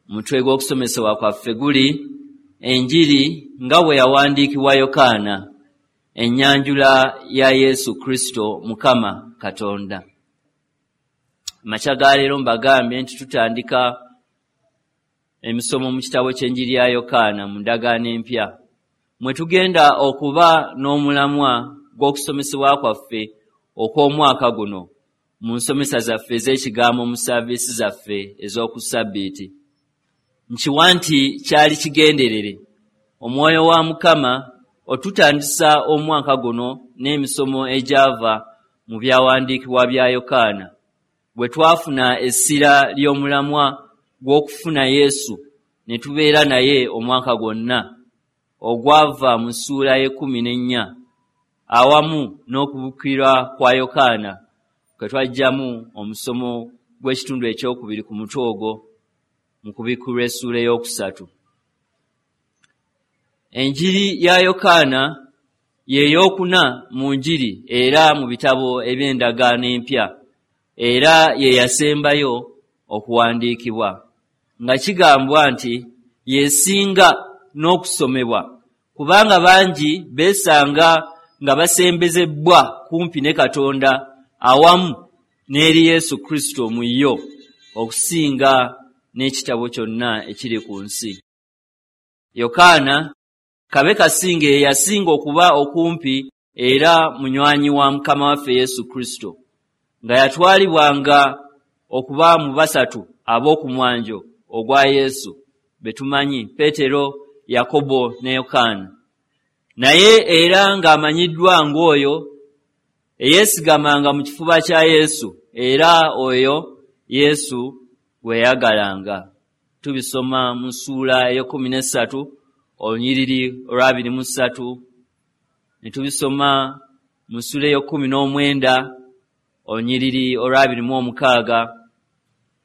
Omutwe gw'okusomesebwa kwaffe guli enjiri nga bwe yawandiikibwa Yokaana, ennyanjula ya Yesu Kristo Mukama Katonda. Amakya ga leero mbagambye nti tutandika emisomo mu kitabo ky'enjiri ya Yokaana mu ndagaano empya, mwe tugenda okuba n'omulamwa gw'okusomesebwa kwaffe okw'omwaka guno mu nsomesa zaffe ez'ekigambo mu saaviisi zaffe ez'oku ssabbiiti. Nkiwa nti kyali kigenderere omwoyo wa Mukama otutandisa omwaka guno n'emisomo egyava mu byawandiikibwa bya Yokaana, bwe twafuna essira ly'omulamwa gw'okufuna Yesu ne tubeera naye omwaka gwonna, ogwava mu ssuula y'e14 awamu n'okubukkirwa kwa Yokaana kwe twaggyamu omusomo gw'ekitundu ekyokubiri ku mutwe ogwo mu kubikkulwa essuula ey'okusatu. Enjiri ya Yokaana ye yookuna mu njiri era mu bitabo eby'endagaano empya, era ye yasembayo okuwandiikibwa, nga kigambwa nti yesinga n'okusomebwa, kubanga bangi beesanga nga basembezebbwa kumpi ne Katonda awamu n'eri Yesu Kristo mu yo okusinga n'ekitabo kyonna ekiri ku nsi. Yokaana kabe kasinge ye yasinga okuba okumpi era munywanyi wa Mukama waffe Yesu Kristo, nga yatwalibwanga okuba mu basatu ab'okumwanjo ogwa Yesu be tumanyi, Peetero, Yakobo ne Yokaana. Naye era ng'amanyiddwa ng'oyo eyeesigamanga mu kifuba kya Yesu, era oyo Yesu gwe yayagalanga. Tubisoma mu ssuula ey'e13 olunyiriri olwa23, ne tubisoma mu ssuula ey'e19 olunyiriri olwa26,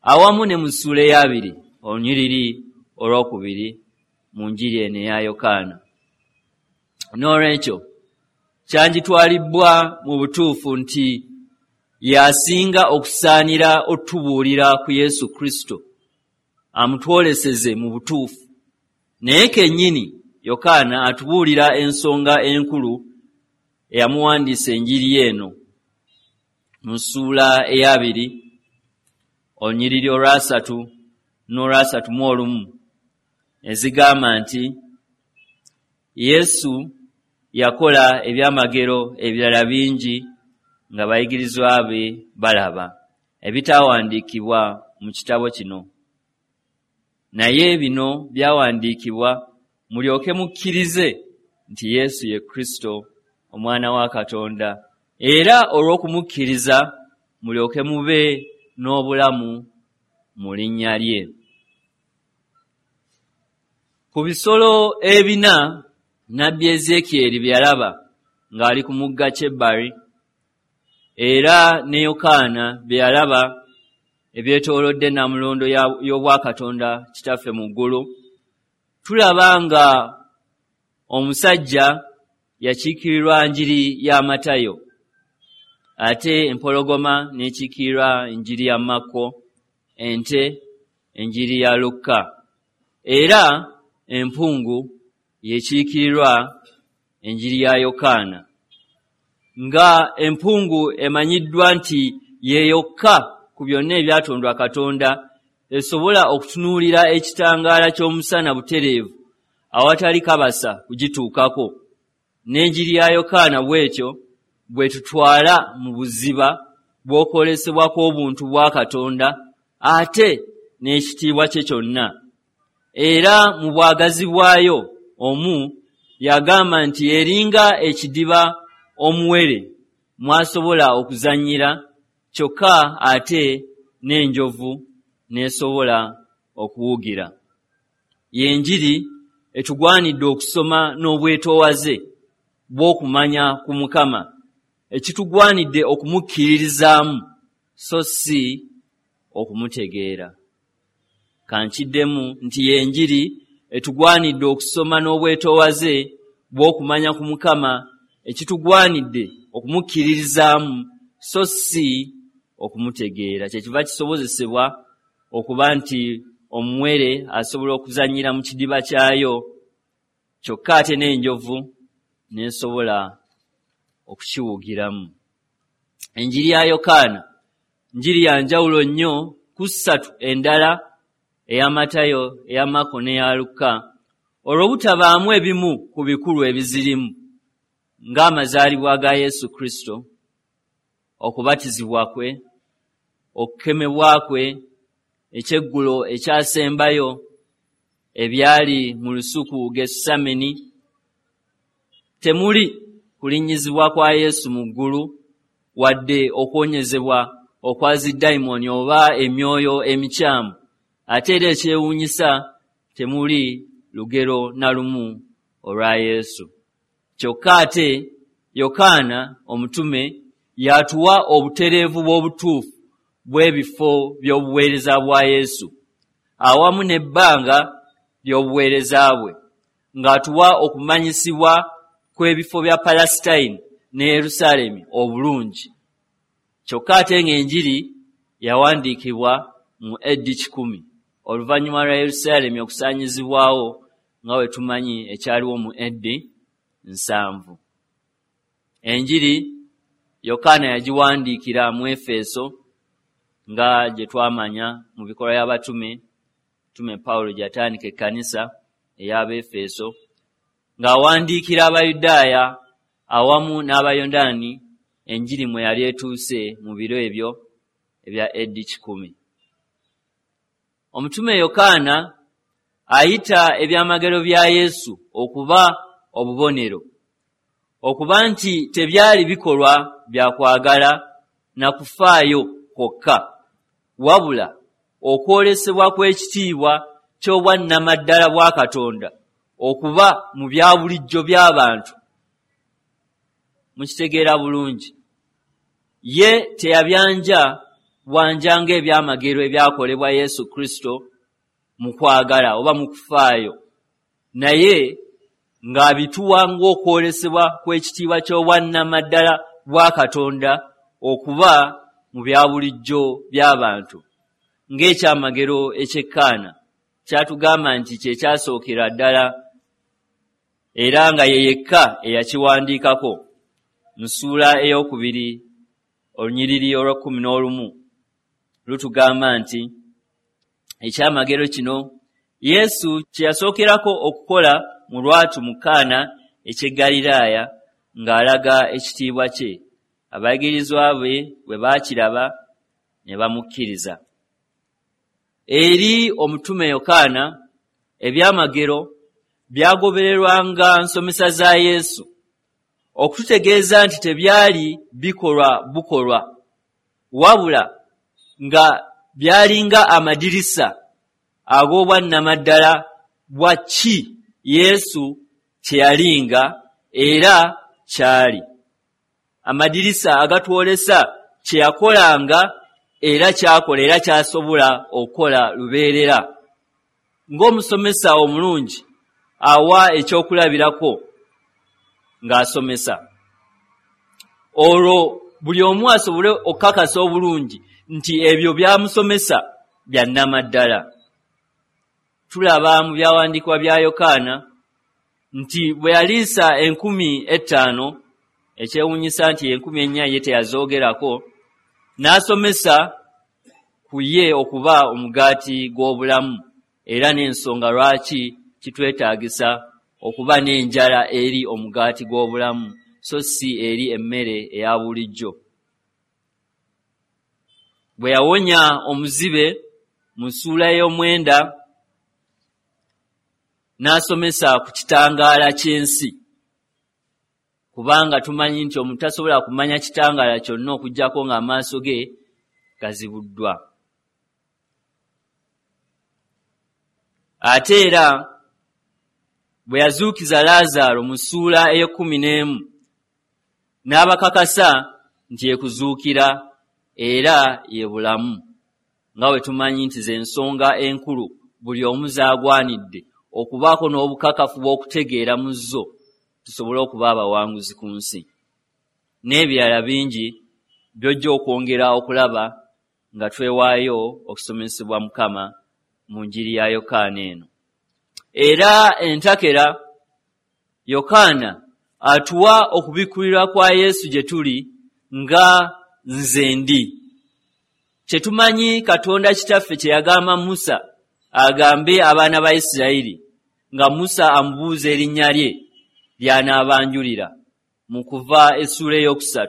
awamu ne mu ssuula ey'abiri olunyiriri olwokubiri mu njiri eno eya Yokaana. N'olwekyo kyangitwalibbwa mu butuufu nti y'asinga okusaanira otubuulira ku Yesu Kristo amutwoleseze mu butuufu. Naye kennyini Yokaana atubuulira ensonga enkulu eyamuwandiisa enjiri eno mu ssuula ey'abiri olunyiriri olwasatu n'olwa31 ezigamba nti Yesu yakola ebyamagero ebirala bingi nga bayigirizwa be balaba, ebitaawandiikibwa mu kitabo kino. Naye bino byawandiikibwa mulyoke mukkirize nti Yesu ye Kristo Omwana wa Katonda, era olw'okumukkiriza mulyoke mube n'obulamu mu linnya lye. Ku bisolo ebina nnabbi Ezeekyeri bye yalaba ng'ali ku mugga Kyebali, era ne Yokaana bye yalaba ebyetoolodde nnamulondo y'obwakatonda Kitaffe mu ggulu, tulaba nga omusajja yakiikirirwa njiri ya Matayo, ate empologoma n'ekiikirirwa enjiri ya Makko, ente enjiri ya Lukka, era empungu yekiikirirwa enjiri ya Yokaana. Nga empungu emanyiddwa nti ye yokka ku byonna ebyatondwa Katonda esobola okutunuulira ekitangaala ky'omusana butereevu awatali kabasa kugituukako, n'enjiri ya Yokaana bw'etyo bw'etutwala mu buziba bw'okwolesebwa kw'obuntu bwa Katonda ate n'ekitiibwa kye kyonna. Era mu bwagazi bwayo omu yagamba nti eringa ekidiba omuwere mw'asobola okuzannyira kyokka ate n'enjovu n'esobola okuwugira. Y'enjiri etugwanidde okusoma n'obwetoowaze bw'okumanya ku Mukama, ekitugwanidde okumukkiririzaamu so si okumutegeera. Ka nkiddemu nti y'enjiri etugwanidde okusoma n'obwetoowaze bw'okumanya ku Mukama, ekitugwanidde okumukkiririzaamu so si okumutegeera. Kyekiva kisobozesebwa okuba nti omuwere asobola okuzannyira mu kidiba kyayo, kyokka ate n'enjovu n'esobola okukiwugiramu. Enjiri ya Yokaana njiri ya njawulo nnyo ku ssatu endala, eya Matayo, eya Mako n'eya Lukka, olw'obutabaamu ebimu ku bikulu ebizirimu ng'amazaalibwa ga Yesu Kristo, okubatizibwa kwe, okukemebwa kwe, ekyeggulo ekyasembayo, ebyali mu lusuku Gesusameni. Temuli kulinnyizibwa kwa Yesu mu ggulu, wadde okuwonyezebwa okwa zidayimooni oba emyoyo emikyamu. Ate era ekyewuunyisa, temuli lugero na lumu olwa Yesu. Kyokka ate Yokaana omutume y'atuwa obutereevu bw'obutuufu bw'ebifo by'obuweereza bwa Yesu awamu n'ebbanga ly'obuweereza bwe, ng'atuwa okumanyisibwa kw'ebifo bya Palesitayini ne Yerusaalemi obulungi. Kyokka ate ng'enjiri yawandiikibwa mu AD 100 oluvannyuma lwa Yerusaalemi okusaanyizibwawo, nga bwe tumanyi ekyaliwo mu AD 70. Enjiri Yokaana yagiwandiikira mu Efeso, nga gye twamanya mu bikolwa by'abatume, Tume Pawulo gye yatandika ekkanisa ey'Abaefeso, ng'awandiikira Abayudaaya awamu n'Abayonaani enjiri mwe yali etuuse mu biro ebyo ebya AD 100. Omutume Yokaana ayita ebyamagero bya Yesu okuba obubonero, okuba nti tebyali bikolwa bya kwagala na kufaayo kwokka, wabula okwolesebwa kw'ekitiibwa ky'obwannamaddala bwa Katonda okuba mu bya bulijjo by'abantu. Mukitegeera bulungi, ye teyabyanja bwanja ng'ebyamagero ebyakolebwa Yesu Kristo mu kwagala oba mu kufaayo, naye ng'abituwa ng'okwolesebwa kw'ekitiibwa ky'obwannamaddala bwa Katonda okuba mu bya bulijjo by'abantu, ng'ekyamagero eky'e Kaana kyatugamba nti kye kyasookera ddala, era nga ye yekka eyakiwandiikako mu ssuula 2 olunyiriri olw'11 lutugamba nti ekyamagero kino Yesu kye yasookerako okukola mu lwatu mu Kaana eky'e Ggaliraaya ng'alaga ekitiibwa kye, abayigirizwa be bwe baakiraba ne bamukkiriza. Eri omutume Yokaana, ebyamagero byagobererwanga nsomesa za Yesu, okututegeeza nti tebyali bikolwa bukolwa, wabula nga byalinga amadirisa ag'obwannamaddala bwa ki Yesu kye yalinga era kyali, amadirisa agatwolesa kye yakolanga era kyakola era kyasobola okukola lubeerera. Ng'omusomesa omulungi awa ekyokulabirako ng'asomesa, olwo buli omu asobole okukakasa obulungi nti ebyo by'amusomesa bya nnamaddala. Tulaba mu byawandiikibwa bya Yokaana nti bwe yaliisa 5000, ekyewuunyisa nti 4000 ye teyazoogerako, n'asomesa ku ye okuba omugaati gw'obulamu, era n'ensonga lwaki kitwetaagisa okuba n'enjala eri omugaati gw'obulamu so si eri emmere eya bulijjo. Bwe yawonya omuzibe mu ssuula 9, n'asomesa ku kitangaala ky'ensi, kubanga tumanyi nti omuntu tasobola kumanya kitangaala kyonna okuggyako ng'amaaso ge gazibuddwa. Ate era bwe yazuukiza Laazaalo mu ssuula 11, n'abakakasa nti ye kuzuukira era ye bulamu, nga bwe tumanyi nti ze nsonga enkulu buli omu z'agwanidde okubaako n'obukakafu bw'okutegeera mu zo, tusobole okuba abawanguzi ku nsi. N'ebirala bingi by'ojja okwongera okulaba nga twewaayo okusomesebwa Mukama mu njiri ya Yokaana eno. Era entakera Yokaana atuwa okubikkulirwa kwa Yesu gye tuli nga nze ndi. Kye tumanyi Katonda Kitaffe kye yagamba Musa agambe abaana ba Isirayiri nga Musa amubuuza erinnya lye ly'anaabanjulira mu Kuva essuula 3.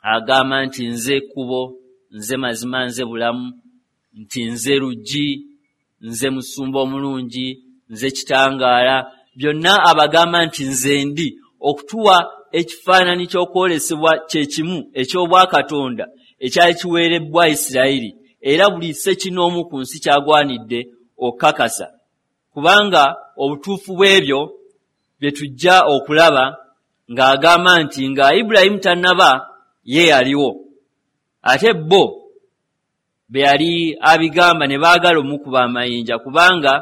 Agamba nti nze kkubo, nze mazima, nze bulamu, nti nze luggi, nze musumba omulungi, nze kitangaala. Byonna abagamba nti nze ndi, okutuwa ekifaananyi ky'okwolesebwa kye kimu eky'obwakatonda ekyali kiweerebbwa Isirayiri, era buli ssekinnoomu ku nsi kyagwanidde okukakasa, kubanga obutuufu bw'ebyo bye tujja okulaba ng'agamba nti nga Ibulayimu tannaba ye yaliwo, ate bo be yali abigamba ne baagala omukuba amayinja, kubanga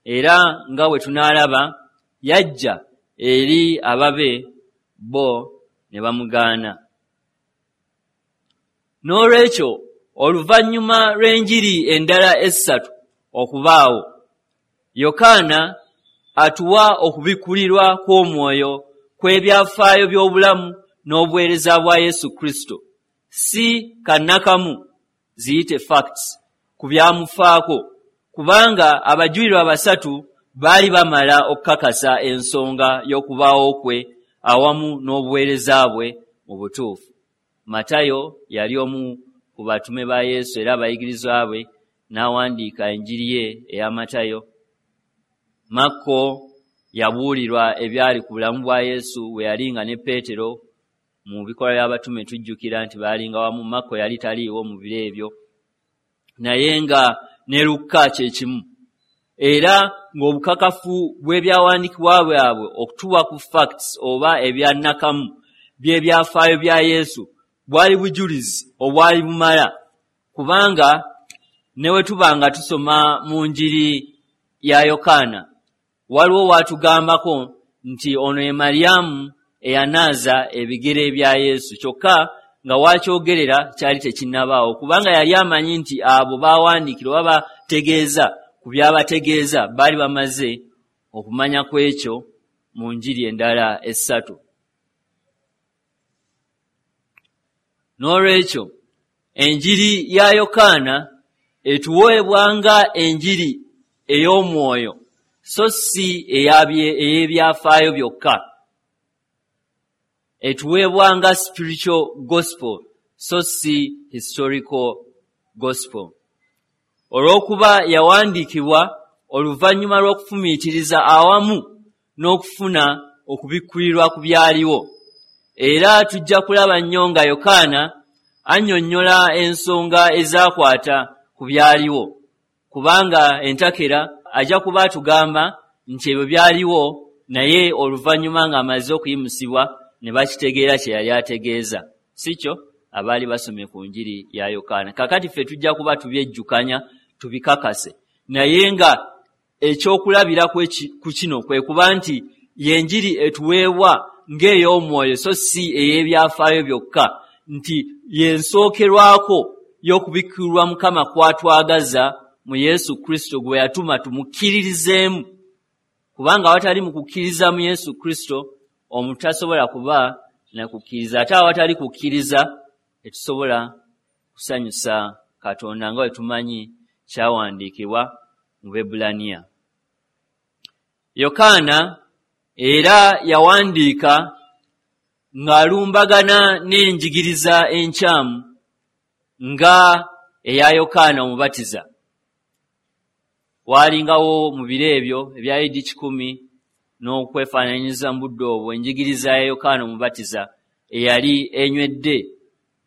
era nga bwe tunaalaba yajja eri ababe bo ne bamugaana. N'olwekyo oluvannyuma lw'enjiri endala 3 okubaawo, Yokaana atuwa okubikkulirwa kw'omwoyo kw'ebyafaayo by'obulamu n'obuweereza bwa Yesu Kristo, si kannakamu ziyite facts ku byamufaako, kubanga abajulirwa 3 baali bamala okukakasa ensonga y'okubaawo kwe awamu n'obuweereza bwe mu butuufu. Matayo yali omu ku batume ba Yesu era abayigirizwa be, n'awandiika enjiri ye eya Matayo. Makko yabuulirwa ebyali ku bulamu bwa Yesu bwe yali nga ne Peetero mu bikolwa by'abatume, tujjukira nti baalinga wamu. Makko yali taliiwo mu biro ebyo, naye nga ne Lukka kye kimu. Era ng'obukakafu bw'ebyawandiikibwa bwabwe okutuwa ku facts oba ebyannakamu by'ebyafaayo bya Yesu bwali bujulizi obwali bumala, kubanga ne bwe tuba nga tusoma mu njiri ya Yokaana waliwo waatugambako nti ono ye Mariyamu eyanaaza ebigere bya Yesu, kyokka nga waakyogerera kyali tekinnabaawo, kubanga yali amanyi nti abo baawandiikira oba bategeeza ku byabategeeza baali bamaze okumanya ku ekyo mu njiri endala 3. N'olwekyo enjiri ya Yokaana etuweebwa nga enjiri ey'omwoyo, so si ey'ebyafaayo byokka. Etuweebwa nga spiritual gospel, so si historical gospel. Olw'okuba yawandiikibwa oluvannyuma lw'okufumiitiriza awamu n'okufuna okubikkulirwa ku byaliwo. Era tujja kulaba nnyo nga Yokaana annyonnyola ensonga ezaakwata ku byaliwo, kubanga entakera ajja kuba atugamba nti ebyo byaliwo, naye oluvannyuma ng'amaze okuyimusibwa ne bakitegeera kye yali ategeeza, si kyo abaali basomye ku njiri ya Yokaana. Kaakati ffe tujja kuba tubyejjukanya tubikakase, naye nga ekyokulabirako ku kino kwe kuba nti y'enjiri etuweebwa ng'ey'omwoyo, so si ey'ebyafaayo byokka, nti y'ensookerwako y'okubikkulirwa Mukama kw'atwagaza mu Yesu Kristo gwe yatuma tumukkiririzeemu, kubanga awatali mu kukkiriza mu Yesu Kristo omuntu tasobola kuba na kukkiriza, ate awatali kukkiriza tetusobola kusanyusa Katonda nga bwe tumanyi kyawandiikibwa mu Baebbulaniya. Yokaana era yawandiika ng'alumbagana n'enjigiriza enkyamu nga eya Yokaana Omubatiza. Waalingawo mu biro ebyo ebya AD 100 n'okwefaananyiriza mu budde obwo enjigiriza ya Yokaana Omubatiza eyali enywedde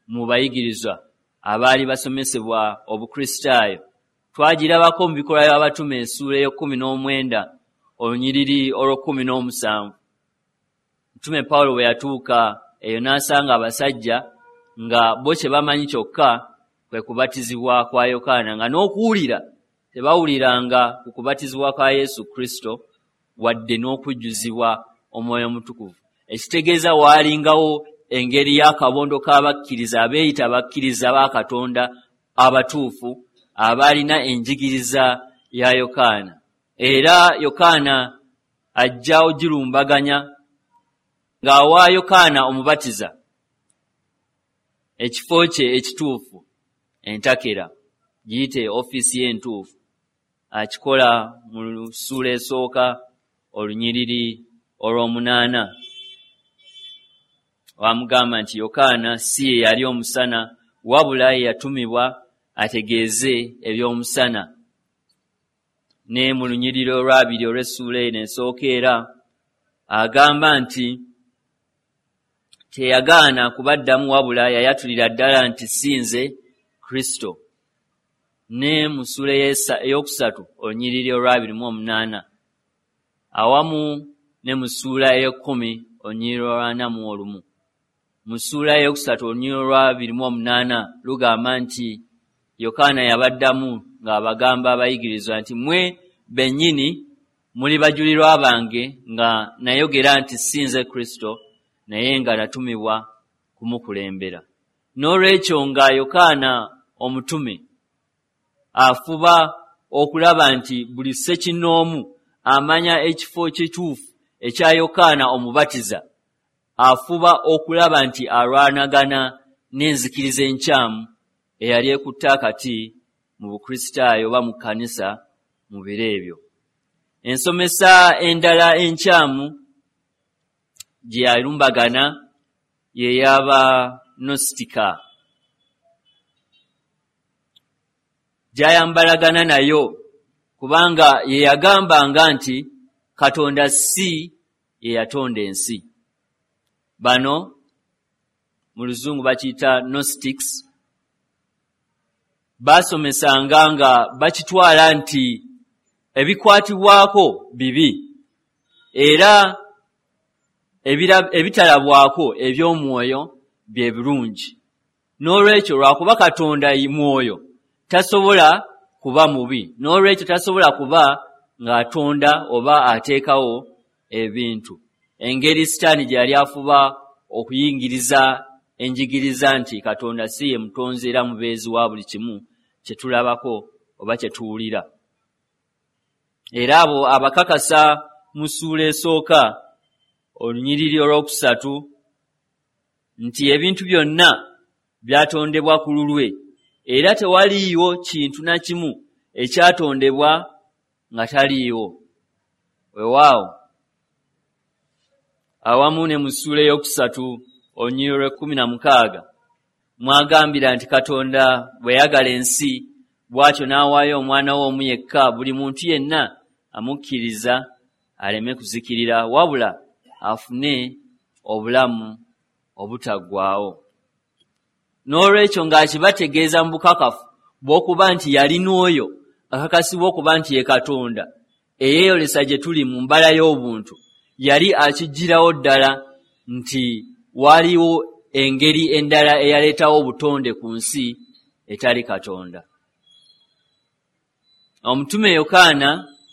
mu bayigirizwa abaali basomesebwa Obukristaayo. Twagirabako mu bikolwa by'abatume essuula 19 olunyiriri 17. Mtume Pawulo bwe yatuuka eyo n'asanga abasajja nga bo kye bamanyi kyokka kwe kubatizibwa kwa Yokaana, nga n'okuwulira tebawuliranga ku kubatizibwa kwa Yesu Kristo wadde n'okujjuzibwa Omwoyo Omutukuvu. Ekitegeeza waalingawo engeri y'akabondo k'abakkiriza abeeyita abakkiriza ba Katonda abatuufu, abaalina enjigiriza ya Yokaana. Era Yokaana ajja ogirumbaganya ng'awa Yokaana Omubatiza ekifo kye ekituufu, entakera, giyite ofiisi ye entuufu. Akikola mu ssuula esooka olunyiriri olw'omunaana, wamugamba nti Yokaana si ye yali omusana, wabula ye yatumibwa ategeeze eby'omusana. Ne mu lunyiriri olwabiri olw'essuula eno esooka era agamba nti teyagaana kubaddamu, wabula yayatulira ddala nti si nze Kristo. Ne mu ssuula ey'okusatu olunyiriri olw'28, awamu ne mu ssuula ey'ekkumi olunyiriri olw'41. Mu ssuula ey'okusatu olunyiriri olw'28 lugamba nti Yokaana yabaddamu ng'abagamba abayigirizwa nti mmwe bennyini muli bajulirwa bange nga nayogera nti si nze Kristo, naye nga natumibwa kumukulembera. N'olwekyo nga Yokaana omutume afuba okulaba nti buli ssekinnoomu amanya ekifo kituufu ekya Yokaana Omubatiza, afuba okulaba nti alwanagana n'enzikiriza enkyamu eyali ekutte akati mu Bukristaayo oba mu kkanisa mu biro ebyo. Ensomesa endala enkyamu gye yalumbagana ye y'Abanostika, gy'ayambalagana nayo, kubanga ye yagambanga nti Katonda si ye yatonda ensi. Bano mu Luzungu bakiyita Gnostics. Baasomesanga nga bakitwala nti ebikwatibwako bibi, era ebitalabwako eby'omwoyo bye birungi. N'olwekyo lwakuba Katonda mwoyo tasobola kuba mubi, n'olwekyo tasobola kuba ng'atonda oba ateekawo ebintu. Engeri Sitaani gye yali afuba okuyingiriza enjigiriza nti Katonda si ye mutonzi era mubeezi wa buli kimu kye tulabako oba kye tuwulira. Era abo abakakasa mu ssuula esooka olunyiriri olwokusatu nti ebintu byonna byatondebwa ku lulwe, era tewaliiwo kintu na kimu ekyatondebwa nga taliiwo. Weewaawo, awamu ne mu ssuula ey'okusatu olunyiriri olw'ekumi na mukaaga, mwagambira nti Katonda bwe yayagala ensi bw'atyo n'awaayo omwana we omu yekka, buli muntu yenna amukkiriza aleme kuzikirira, wabula afune obulamu obutaggwaawo. N'olwekyo ng'akibategeeza mu bukakafu bw'okuba nti yalina oyo akakasibwa okuba nti ye Katonda eyeeyolesa gye tuli mu mbala y'obuntu, yali akiggyirawo ddala nti waaliwo engeri endala eyaleetawo obutonde ku nsi etali Katonda. Omutume Yokaana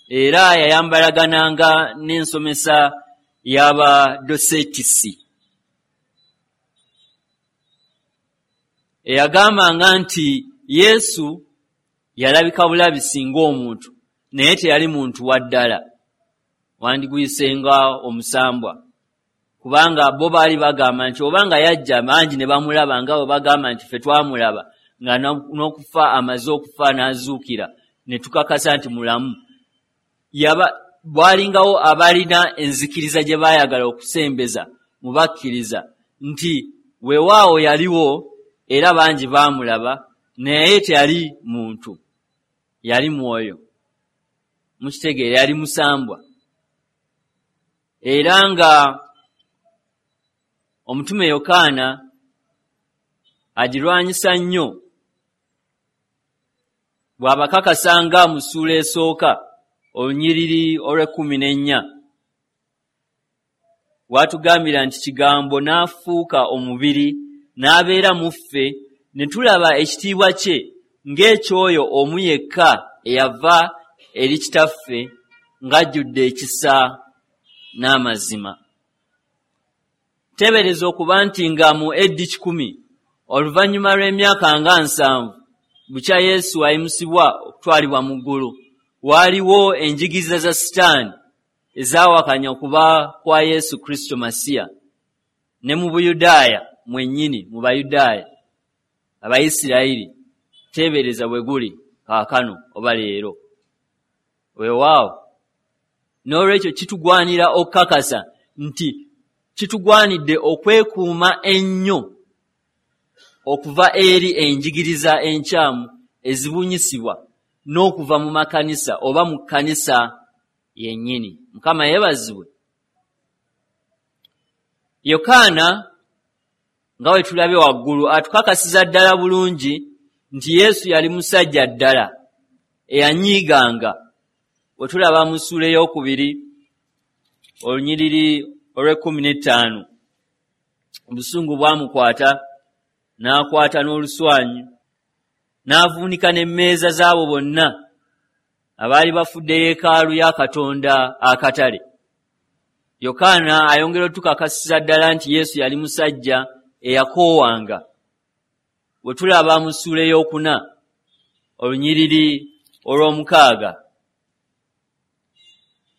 era yayambalagananga n'ensomesa y'Abadosetisi, eyagambanga nti Yesu yalabika bulabisi ng'omuntu, naye teyali muntu wa ddala, wandiguyise nga omusambwa, kubanga bo baali bagamba nti oba nga yajja bangi ne bamulaba nga bwe bagamba nti ffe twamulaba nga n'okufa amaze okufa n'azuukira ne tukakasa nti mulamu. Bwalingawo abalina enzikiriza gye baayagala okusembeza mu bakkiriza nti weewaawo yaliwo era bangi baamulaba, naye teyali muntu, yali mwoyo. Mukitegeera, yali musambwa. Era nga omutume Yokaana agirwanyisa nnyo bw'abakakasanga mu ssuula esooka olunyiriri olw'ekumi n'ennya, w'atugambira nti Kigambo n'afuuka omubiri n'abeera mu ffe, ne tulaba ekitiibwa kye ng'ekyoyo omu yekka eyava eri Kitaffe, ng'ajjudde ekisa n'amazima. Teebereza okuba nti nga mu AD 100, oluvannyuma lw'emyaka nga 70 Bukya Yesu ayimusibwa okutwalibwa mu ggulu, waaliwo enjigiriza za Sitaani ezaawakanya okuba kwa Yesu Kristo Masiya ne mu Buyudaaya mwennyini, mu Bayudaaya Abayisirayiri. Teebereza bwe guli kaakano oba leero. Weewaawo, n'olwekyo kitugwanira okukakasa nti kitugwanidde okwekuuma ennyo okuva eri enjigiriza enkyamu ezibunyisibwa n'okuva mu makanisa oba mu kkanisa yennyini. Mukama yeebazibwe. Yokaana nga bwe tulabye waggulu atukakasiza ddala bulungi nti Yesu yali musajja ddala eyanyiiganga. Bwe tulaba mu ssuula ey'okubiri olunyiriri olw'ekkumi n'ettaano, obusungu bwamukwata n'akwata n'oluswanyu n'avuunika n'emmeeza z'abo bonna abaali bafudde yeekaalu ya Katonda akatale. Yokaana ayongera otukakasiza ddala nti Yesu yali musajja eyakoowanga. Bwe tulaba mu ssuula ey'okuna olunyiriri olw'omukaaga,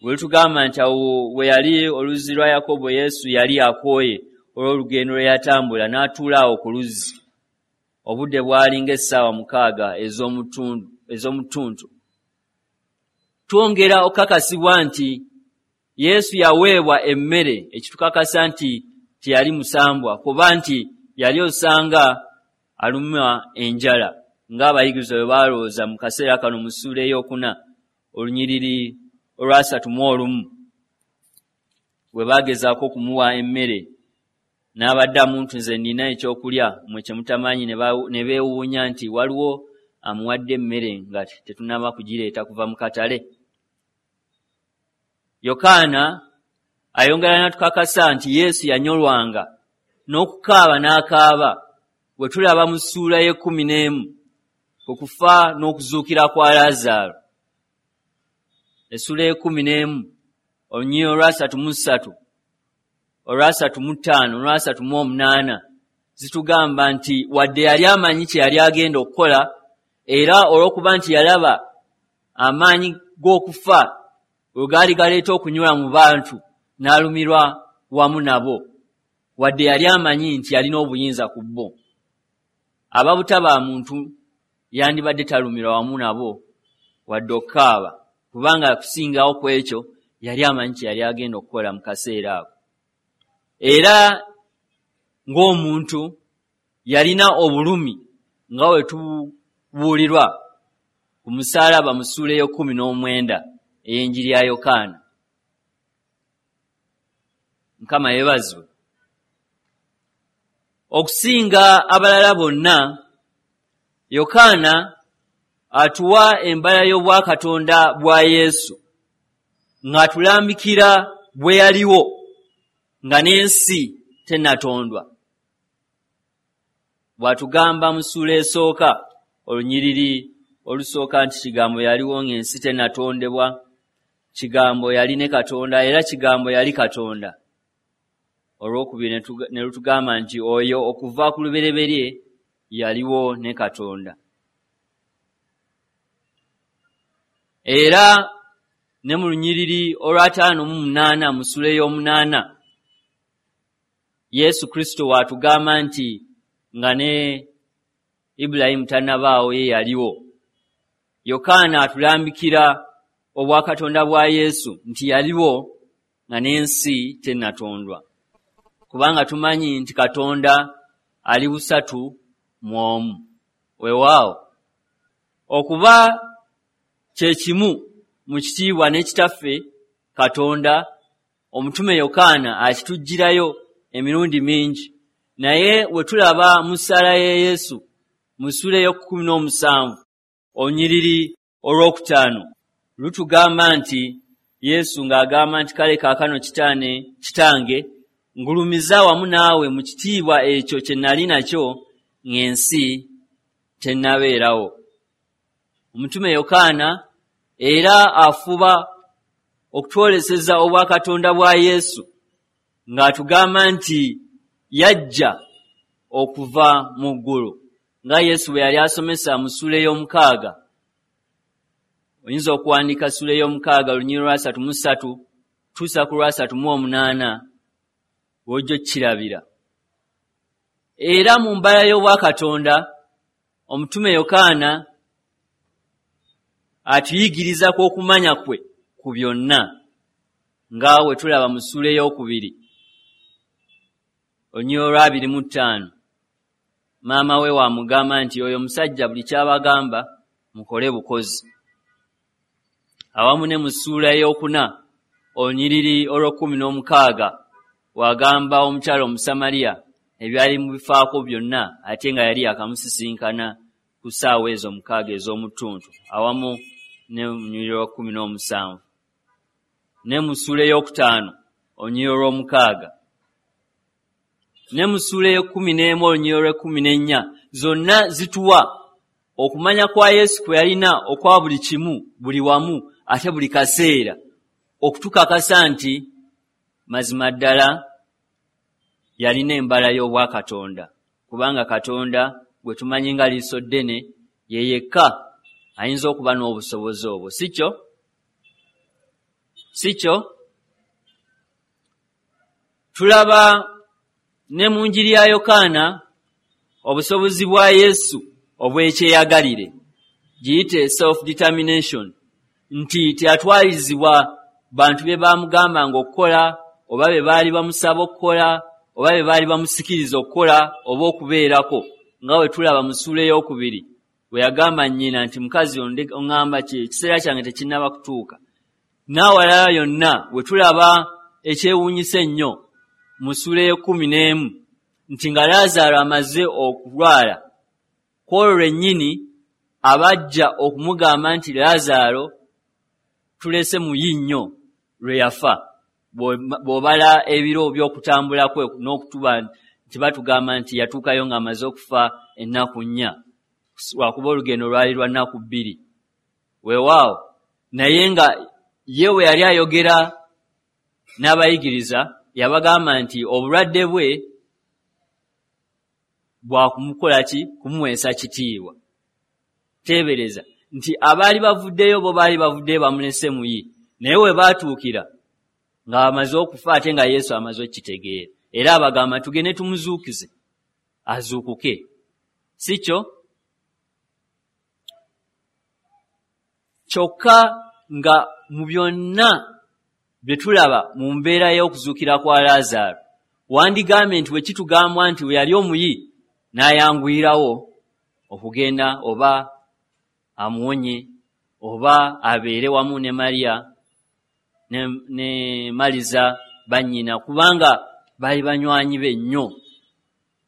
bwe lutugamba nti awo we yali oluzzi lwa Yakobo, Yesu yali akooye olw'olugendo lwe yatambula, n'atuula awo ku luzzi. Obudde bwali ng'essaawa 6 ez'omutuntu. Twongera okukakasibwa nti Yesu yaweebwa emmere, ekitukakasa nti teyali musambwa, kuba nti yali osanga alumwa enjala ng'abayigirizwa bwe baalowooza mu kaseera kano mu ssuula ey'okuna olunyiriri olwasatu mu olumu, bwe baagezaako okumuwa emmere n'abaddamu nti, "Nze nnina ekyokulya mmwe kye mutamanyi," ne beewuunya nti waliwo amuwadde emmere nga tetunnaba kugireeta kuva mu katale. Yokaana ayongera n'atukakasa nti Yesu yanyolwanga n'okukaaba n'akaaba, bwe tulaba mu ssuula y'ekkumi n'emu ku kufa n'okuzuukira kwa Laazaalo. Essuula y'ekkumi n'emu olunyiriri olwasatu mu ssatu, olwasatu mu ttaano, olwasatu mu omunaana zitugamba nti wadde yali amanyi kye yali agenda okukola, era olw'okuba nti yalaba amaanyi g'okufa bwe gaali galeeta okunyula mu bantu, n'alumirwa wamu nabo, wadde yali amanyi nti yalina obuyinza ku bo. Ababutaba muntu yandibadde talumirwa wamu nabo wadde okukaaba, kubanga kusingawo ku ekyo yali amanyi kye yali agenda okukola mu kaseera ako. Era ng'omuntu yalina obulumi nga bwe tubuulirwa ku musaalaba mu ssuula ey'ekkumi n'omwenda ey'enjiri ya Yokaana. Mukama yeebazibwe. Okusinga abalala bonna, Yokaana atuwa embala y'obwakatonda bwa Yesu ng'atulambikira bwe yaliwo nga n'ensi tennatondwa, bw'atugamba mu ssuula esooka olunyiriri olusooka nti Kigambo yaliwo ng'ensi tennatondebwa, Kigambo yali ne Katonda, era Kigambo yali Katonda. Olwokubiri ne lutugamba nti oyo okuva ku lubereberye yaliwo ne Katonda. Era ne mu lunyiriri olw'ataano mu munaana mu ssuula ey'omunaana, Yesu Kristo waatugamba nti nga ne Ibulayimu tannabaawo, ye yaliwo. Yokaana atulambikira obwakatonda bwa Yesu nti yaliwo nga n'ensi tennatondwa, kubanga tumanyi nti Katonda ali busatu mu omu. Weewaawo, okuba kye kimu mu kitiibwa ne Kitaffe Katonda, omutume Yokaana akituggyirayo emirundi mingi. Naye we tulaba mu ssaala ya Yesu mu ssuula ey'okkumi n'omusanvu olunyiriri olwokutaano, lutugamba nti Yesu ng'agamba nti, "Kale kaakano kitaane, Kitange, ngulumiza wamu naawe mu kitiibwa ekyo kye nali nakyo ng'ensi tennabeerawo." Omutume Yokaana era afuba okutwoleseza obwakatonda bwa Yesu ng'atugamba nti yajja okuva mu ggulu. nga Yesu bwe yali asomesa mu ssuula ey'omukaaga. Oyinza okuwandiika ssuula ey'omukaaga olunyiriri lwa 33 tuusa ku lwa 38 w'ojja okkirabira. Era mu mbala y'obwakatonda omutume Yokaana atuyigiriza kw'okumanya kwe ku byonna, nga we tulaba mu ssuula ey'okubiri olunyiriri lwa 25. Maama we wamugamba nti oyo omusajja buli ky'abagamba mukole bukozi. Awamu ne mu ssuula ey'okuna olunyiriri olw'okkumi n'omukaaga wagamba omukyala Omusamaliya ebyali mu bifaako byonna, ate nga yali akamusisinkana ku ssaawa ezo 6 ez'omu ttuntu, awamu ne lunyiriri lwa 17, ne mu ssuula ey'okutaano olunyiriri olw'omukaaga, ne mu ssuula ey'ekkumi n'emu olunyiriri olw'ekkumi n'ennya. Zonna zituwa okumanya kwa Yesu kwe yalina okwa buli kimu, buli wamu, ate buli kaseera, okutukakasa nti mazima ddala yalina embala y'obwakatonda, kubanga Katonda gwe tumanyi nga liiso ddene ye yekka ayinza okuba n'obusobozi obwo. Si kyo? Si kyo? Tulaba ne mu njiri ya Yokaana obusobozi bwa Yesu obw'ekyeyagalire, giyite self determination, nti teyatwalizibwa bantu bye bamugambanga okukola, oba bye baali bamusaba okukola, oba bye baali bamusikiriza okukola oba okubeerako, nga bwe tulaba mu ssuula ey'okubiri bwe yagamba nnyina nti, "Mukazi, oŋŋamba ki? Ekiseera kyange tekinnaba kutuuka." N'awalala yonna we tulaba ekyewuunyisa ennyo mu ssuula ey'ekkumi n'emu, nti nga Laazaalo amaze okulwala, ku olwo lwennyini abajja okumugamba nti Laazaalo tulese muyi nnyo lwe yafa, bw'obala ebiro by'okutambula kwe n'okutuba nti batugamba nti yatuukayo ng'amaze okufa ennaku 4, lwakuba olugendo lwali lwa nnaku 2. Weewaawo, naye nga ye bwe yali ayogera n'abayigiriza, yabagamba nti obulwadde bwe bwakumukola ki? Kumuweesa kitiibwa. Teebereza nti abaali bavuddeyo bo baali bavuddeyo bamulese muyi, naye we baatuukira ng'amaze okufa, ate nga Yesu amaze okukitegeera, era abagamba, "Tugende tumuzuukize azuukuke." Si kyo? Kyokka nga mu byonna bye tulaba mu mbeera y'okuzuukira kwa Laazaalo, wandigambye nti bwe kitugambwa nti bwe yali omuyi n'ayanguyirawo okugenda oba amuwonye oba abeere wamu ne Mariya ne Maliza bannyina, kubanga baali banywanyi be nnyo.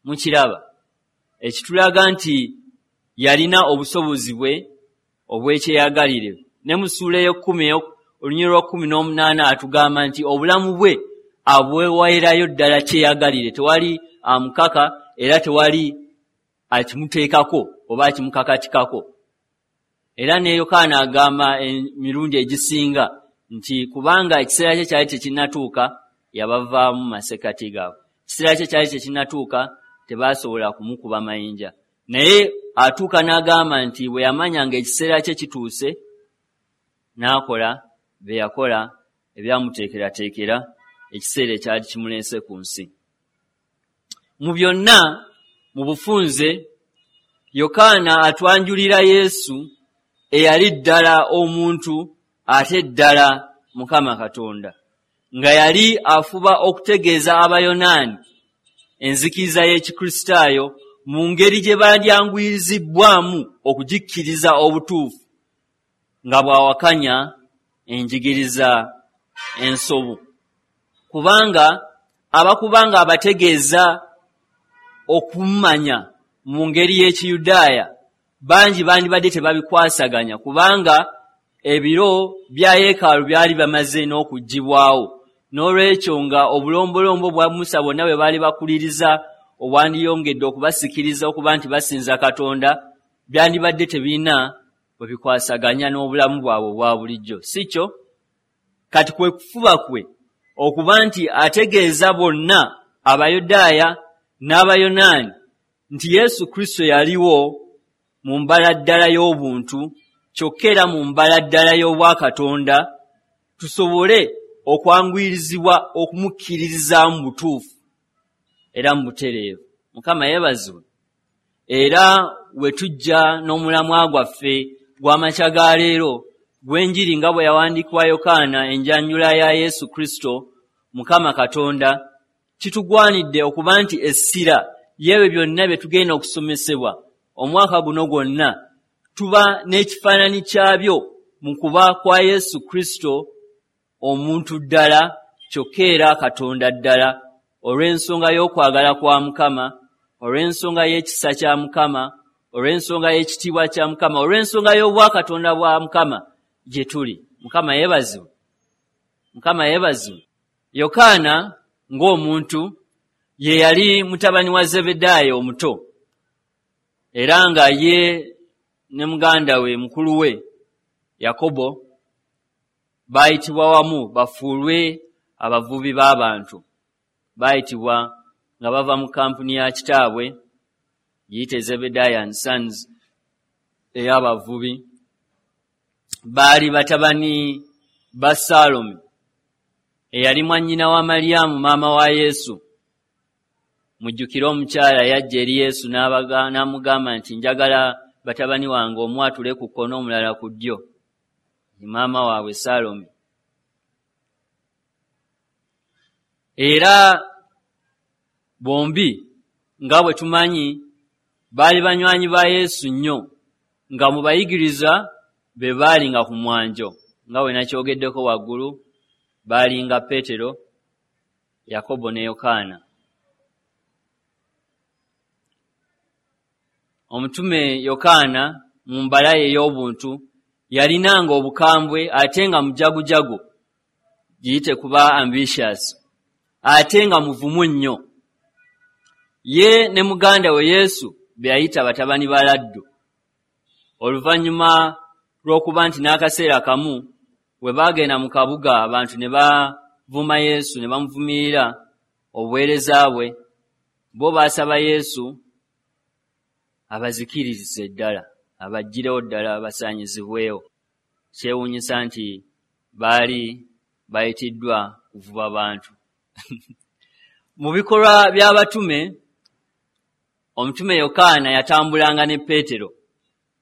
Mukiraba ekitulaga nti yalina obusobozi bwe obw'ekyeyagalire. Ne mu ssuula ey'ekkumi olunyiriri lwa 18 atugamba nti obulamu bwe abweweerayo ddala kyeyagalire, tewali amukaka era tewali akimuteekako oba akimukakatikako. Era ne Yokaana agamba emirundi egisinga nti kubanga ekiseera kye kyali tekinnatuuka, yabavaamu masekkati gaabwe. Ekiseera kye kyali tekinnatuuka, tebaasobola kumukuba mayinja. Naye atuuka n'agamba nti bwe yamanya ng'ekiseera kye kituuse, n'akola bye yakola ebyamuteekerateekera ekiseera ekyali kimuleese ku nsi. Mu byonna, mu bufunze, Yokaana atwanjulira Yesu eyali ddala omuntu ate ddala Mukama Katonda, nga yali afuba okutegeeza Abayonaani enzikiriza y'Ekikristaayo mu ngeri gye bandyanguyizibbwamu okugikkiriza obutuufu, nga bw'awakanya enjigiriza ensobu, kubanga abakuba nga abategeeza okumanya mu ngeri y'Ekiyudaaya, bangi bandibadde tebabikwasaganya, kubanga ebiro bya yeekaalu byali bamaze n'okuggyibwawo. N'olwekyo nga obulombolombo bwa Musa bwonna bwe baali bakuliriza obwandiyongedde okubasikiriza okuba nti basinza Katonda, byandibadde tebirina bwe bikwasaganya n'obulamu bwabwe obwa bulijjo. Si kyo? Kati kwe kufuba kwe okuba nti ategeeza bonna, Abayudaaya n'Abayonaani, nti Yesu Kristo yaliwo mu mbala ddala y'obuntu, kyokka era mu mbala ddala y'obwakatonda, tusobole okwanguyirizibwa okumukkiririzaamu butuufu era mu butereevu. Mukama yeebazibwe. Era we tujja n'omulamwa gwaffe gw'amakya ga leero gw'enjiri nga bwe yawandiikibwa Yokaana, enjanjula ya Yesu Kristo Mukama Katonda, kitugwanidde okuba nti essira y'ebyo byonna bye tugenda okusomesebwa omwaka guno gwonna tuba n'ekifaananyi kyabyo mu kuba kwa Yesu Kristo omuntu ddala kyokka era Katonda ddala, olw'ensonga y'okwagala kwa Mukama, olw'ensonga y'ekisa kya Mukama, olw'ensonga y'ekitiibwa kya Mukama, olw'ensonga y'obwakatonda bwa Mukama gye tuli. Mukama yeebazibwe. Mukama yeebazibwe. Yokaana ng'omuntu ye yali mutabani wa Zebedaayo omuto, era nga ye ne muganda we mukulu we Yakobo baayitibwa wamu bafuulwe abavubi b'abantu. Baayitibwa nga bava mu kampuni ya kitaabwe giyite Zebedaayo and Sons ey'abavubi. Baali batabani ba Saalome eyali mwannyina wa Malyamu maama wa Yesu. Mujjukire omukyala yajja eri Yesu n'amugamba nti njagala batabani wange omu atule ku kkono omulala ku ddyo. Maama waabwe Saalome. Era bombi nga bwe tumanyi baali banywanyi ba Yesu nnyo, nga mu bayigiriza be baalinga ku mwanjo, nga bwe nakyogeddeko waggulu, baalinga Peetero, Yakobo ne Yokaana. Omutume Yokaana mu mbala ye ey'obuntu yalinanga obukambwe ate nga mujagujagu, giyite kuba ambitious, ate nga muvumu nnyo. Ye ne muganda we Yesu be yayita batabani ba laddu, oluvannyuma lw'okuba nti n'akaseera kamu we baagenda mu kabuga abantu ne bavuma Yesu ne bamuvumirira obuweereza bwe, bo baasaba Yesu abazikiririze ddala, abaggirewo ddala basaanyizibwewo. Kyewuunyisa nti baali bayitiddwa kuvuba bantu. Mu bikolwa by'abatume, omutume Yokaana yatambulanga ne Peetero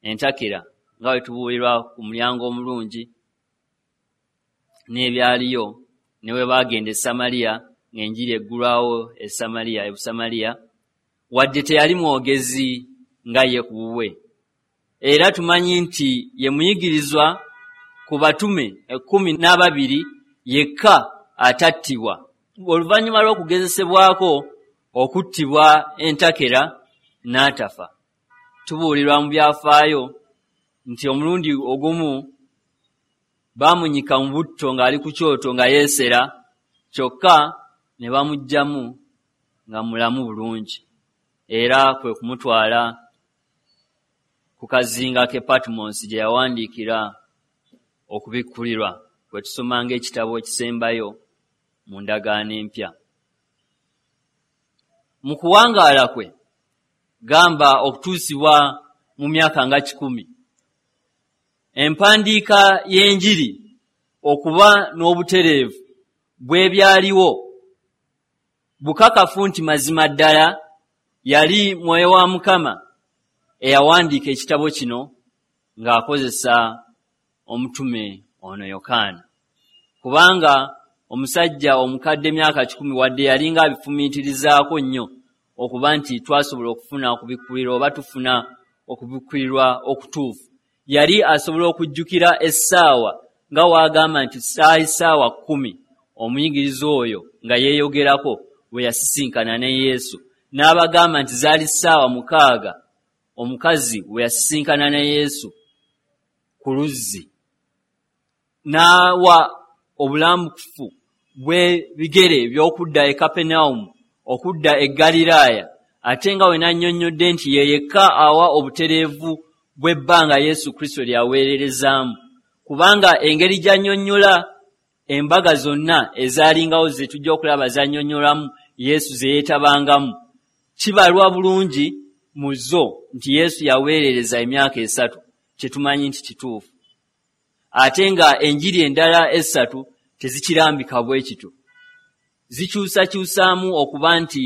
entakera, nga bwe tubuulirwa ku mulyango omulungi n'ebyaliyo, ne bwe baagenda e Samaliya ng'enjiri eggulwawo e Samaliya, e Busamaliya, wadde teyali mwogezi nga ye ku bubwe. Era tumanyi nti ye muyigirizwa ku batume 12 yekka atattibwa. Oluvannyuma lw'okugezesebwako okuttibwa entakera n'atafa. Tubuulirwa mu byafaayo nti omulundi ogumu baamunyika mu butto ng'ali ku kyoto nga yeesera, kyokka ne bamuggyamu nga mulamu bulungi, era kwe kumutwala ku kazinga k'e Patmos gye yawandiikira okubikkulirwa kwe tusomanga ekitabo ekisembayo mu ndagaano empya. Mu kuwangaala kwe, gamba okutuusibwa mu myaka nga 100, empandiika y'enjiri okuba n'obutereevu bw'ebyaliwo bukakafu nti mazima ddala yali Mwoyo wa Mukama eyawandiika ekitabo kino ng'akozesa omutume ono Yokaana. Kubanga omusajja omukadde emyaka 100 wadde yalinga abifumiitirizaako nnyo okuba nti twasobola okufuna okubikkulirwa oba tufuna okubikkulirwa okutuufu, yali asobola okujjukira essaawa nga w'agamba nti saali ssaawa 10 omuyigiriza oyo nga yeeyogerako bwe yasisinkana ne Yesu, n'abagamba nti zaali ssaawa 6 omukazi bwe yasisinkana ne Yesu ku luzzi, n'awa obulambukufu bw'ebigere eby'okudda e Kapenawumu okudda e Ggaliraaya, ate nga we nannyonnyodde nti ye yekka awa obutereevu bw'ebbanga Yesu Kristo lyaweererezaamu, kubanga engeri gy'annyonnyola embaga zonna ezaalingawo ze tujja okulaba zannyonnyolamu Yesu ze yeetabangamu, kibalwa bulungi mu zo nti Yesu yaweerereza emyaka 3, kye tumanyi nti kituufu, ate nga enjiri endala 3 tezikirambika bwe kityo. Zikyusakyusaamu okuba nti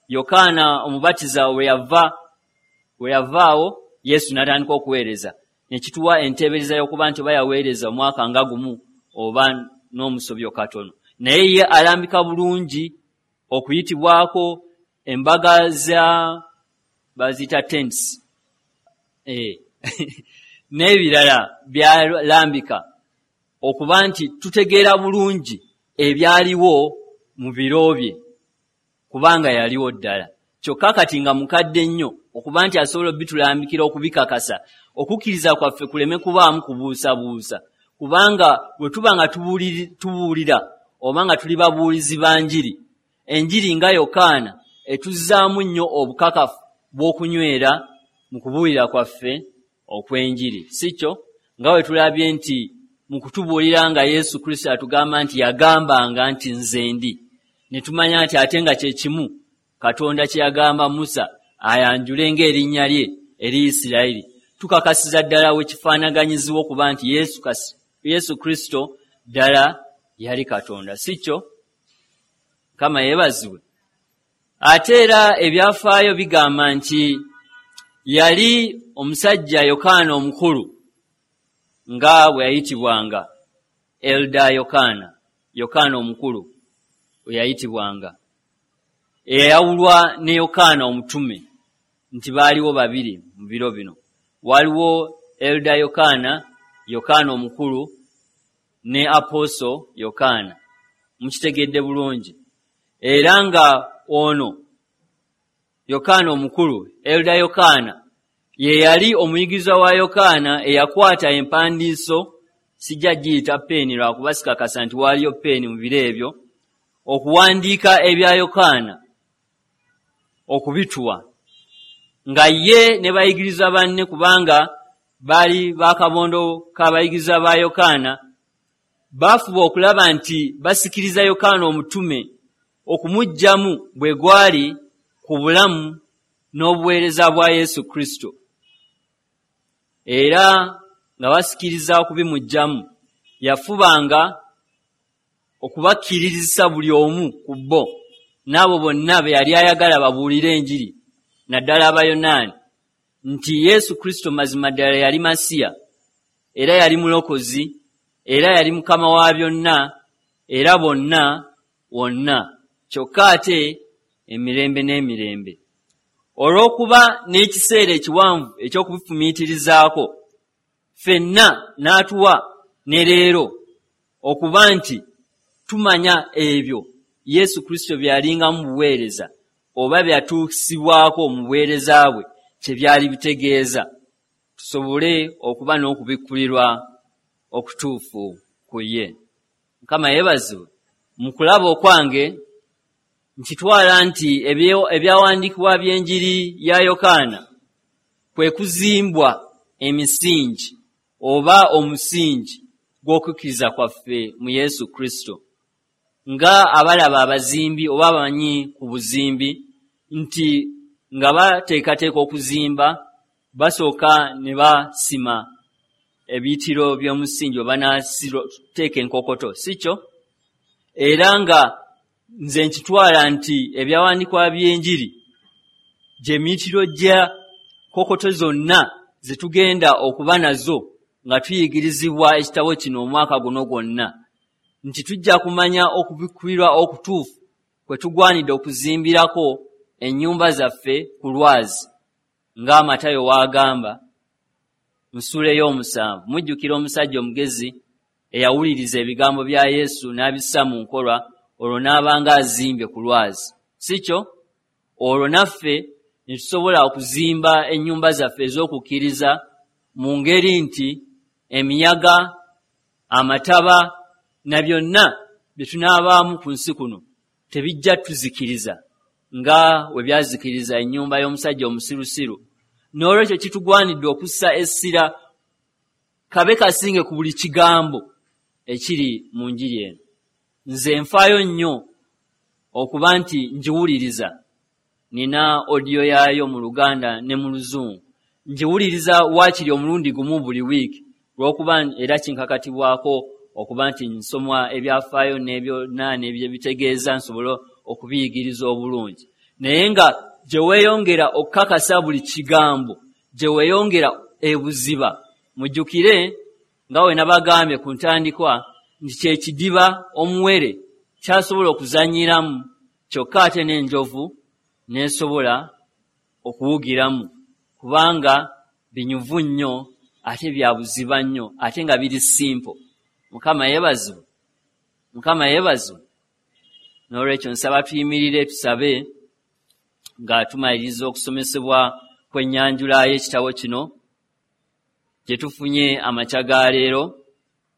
Yokaana Omubatiza we yavaawo Yesu n'atandika okuweereza, ne kituwa enteebereza y'okuba nti oba yaweereza omwaka nga 1 oba n'omusobyo katono. Naye ye alambika bulungi okuyitibwako embaga za baziyita tents n'ebirala byalambika okuba nti tutegeera bulungi ebyaliwo mu biro bye, kubanga yaliwo ddala. Kyokka kati nga mukadde nnyo okuba nti asobola obitulambikira okubikakasa, okukkiriza kwaffe kuleme kubaamu kubuusabuusa, kubanga bwe tuba nga tubuulira oba nga tuli babuulizi ba njiri, enjiri nga Yokaana etuzzaamu nnyo obukakafu bw'okunywera mu kubuulira kwaffe okw'enjiri. Si kyo? Nga bwe tulabye nti mu kutubuulira nga Yesu Kristo atugamba nti yagambanga nti nze ndi, ne tumanya nti ate nga kye kimu Katonda kye yagamba Musa ayanjule ng'erinnya lye eri Isirayiri. Tukakasiza ddala we kifaanaganyizibwa okuba nti Yesu Kristo ddala yali Katonda. Si kyo? Mukama yeebazibwe. Ate era ebyafaayo bigamba nti yali omusajja Yokaana omukulu nga bwe yayitibwanga, Elda Yokaana, Yokaana omukulu bwe yayitibwanga, eyayawulwa ne Yokaana omutume, nti baaliwo babiri mu biro bino. Waliwo Elda Yokaana, Yokaana omukulu, ne Apostle Yokaana. Mukitegedde bulungi. Era nga ono Yokaana omukulu, Elda Yokaana, ye yali omuyigirizwa wa Yokaana eyakwata empandiiso, sijja giyita peeni lwakuba sikakasa nti waaliyo peeni mu biro ebyo, okuwandiika ebya Yokaana okubituwa, nga ye ne bayigirizwa banne, kubanga baali bakabondo k'abayigirizwa ba Yokaana, baafuba okulaba nti basikiriza Yokaana omutume okumuggyamu bwe gwali ku bulamu n'obuweereza bwa Yesu Kristo. Era nga basikiriza okubimuggyamu, yafubanga okubakkirizisa buli omu ku bo n'abo bonna be yali ayagala babuulire enjiri, naddala Abayonaani, nti Yesu Kristo mazima ddala yali Masiya, era yali Mulokozi, era yali Mukama wa byonna, era bonna wonna, kyokka ate emirembe n'emirembe. Olw'okuba n'ekiseera ekiwanvu eky'okubifumiitirizaako, ffenna n'atuwa ne leero okuba nti tumanya ebyo Yesu Kristo bye yalingamu mu buweereza oba bye yatuusibwako mu buweereza bwe kye byali bitegeeza, tusobole okuba n'okubikkulirwa okutuufu ku ye. Mukama yeebazibwe. Mu kulaba okwange nkitwala nti ebyawandiikibwa by'enjiri ya Yokaana kwe kuzimbwa emisingi oba omusingi gw'okukkiriza kwaffe mu Yesu Kristo, nga abalaba abazimbi oba abamanyi ku buzimbi nti nga bateekateeka okuzimba basooka ne basima ebiyitiro by'omusingi oba n'asiteeka enkokoto, si kyo? Era nga nze nkitwala nti ebyawandiikibwa by'enjiri gye miyitiro gya kokoto zonna ze tugenda okuba nazo nga tuyigirizibwa ekitabo kino omwaka guno gwonna, nti tujja kumanya okubikkulirwa okutuufu kwe tugwanidde okuzimbirako ennyumba zaffe ku lwazi, nga Matayo w'agamba mu ssuula ey'omusanvu. Mujjukira omusajja omugezi eyawuliriza ebigambo bya Yesu n'abissa mu nkola, olwo n'abanga azimbye ku lwazi, si kyo? Olwo naffe ne tusobola okuzimba ennyumba zaffe ez'okukkiriza mu ngeri nti emiyaga, amataba na byonna bye tunaabaamu ku nsi kuno tebijja tuzikiriza nga we byazikiriza ennyumba y'omusajja omusirusiru. N'olwekyo kitugwanidde okussa essira kabe kasinge ku buli kigambo ekiri mu njiri eno. Nze nfaayo nnyo okuba nti ngiwuliriza Nina odiyo yaayo mu Luganda ne mu Luzungu. Ngiwuliriza waakiri omulundi gumu buli wiiki, olw'okuba era kinkakatibwako okuba nti nsoma ebyafaayo n'ebyonna n'ebyebitegeeza nsobole okubiyigiriza obulungi. Naye nga gye weeyongera okukakasa buli kigambo, gye weeyongera ebuziba. Mujjukire nga we nabagambye ku ntandikwa nti kye kidiba omuwere kyasobola okuzannyiramu, kyokka ate n'enjovu n'esobola okuwugiramu, kubanga binyuvu nnyo ate bya buziba nnyo ate nga biri simple. Mukama yeebazibwe, Mukama yeebazibwe. N'olwekyo nsaba tuyimirire tusabe nga tumaliriza okusomesebwa kw'ennyanjula y'ekitabo kino gye tufunye amakya ga leero.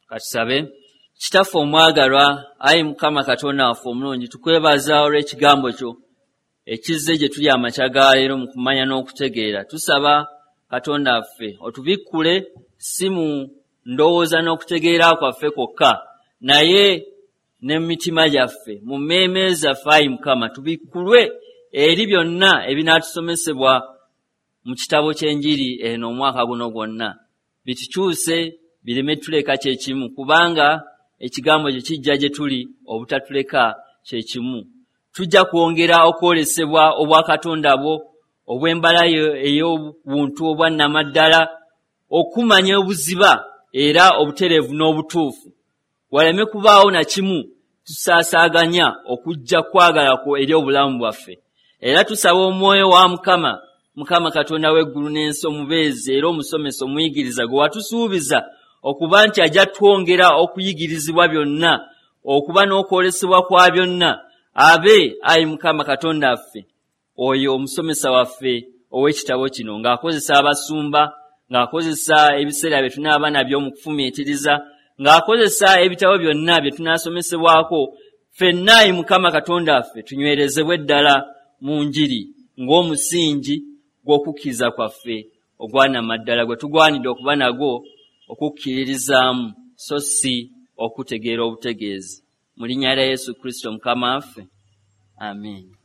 Katusabe. Kitaffe omwagalwa, ayi Mukama Katonda waffe omulungi, tukwebaza olw'ekigambo kyo ekizze gye tuli amakya ga leero mu kumanya n'okutegeera. Tusaba Katonda waffe otubikkule si mu ndowooza n'okutegeera kwaffe kwokka, naye ne mu mitima gyaffe, mu mmeeme zaffe, ayi Mukama, tubikkulwe eri byonna ebinaatusomesebwa mu kitabo ky'enjiri eno omwaka guno gwonna. Bitukyuse bireme tuleka kye kimu, kubanga ekigambo kye kijja gye tuli obutatuleka kye kimu. Tujja kwongera okwolesebwa obwakatonda bwo obw'embala ey'obuntu obwa nnamaddala, okumanya obuziba era obutereevu n'obutuufu. Waleme kubaawo na kimu tusaasaaganya okujja kwagala kwo eri obulamu bwaffe. Era tusaba omwoyo wa Mukama, Mukama Katonda w'eggulu n'ensi, omubeezi era omusomesa omuyigiriza gwe watusuubiza okuba nti ajja twongera okuyigirizibwa byonna, okuba n'okwolesebwa kwa byonna, abe ayi Mukama Katonda waffe oyo omusomesa waffe ow'ekitabo kino, ng'akozesa abasumba, ng'akozesa ebiseera bye tunaaba nabyo mu kufumiitiriza, ng'akozesa ebitabo byonna bye tunaasomesebwako, ffenna ayi Mukama Katonda waffe tunywerezebwe ddala mu njiri ng'omusingi gw'okukkiriza kwaffe ogwanamaddala gwe tugwanidde okuba nagwo okukkiririzaamu, so si okutegeera obutegeezi. Mu linnya lya Yesu Kristo Mukama waffe, amiina.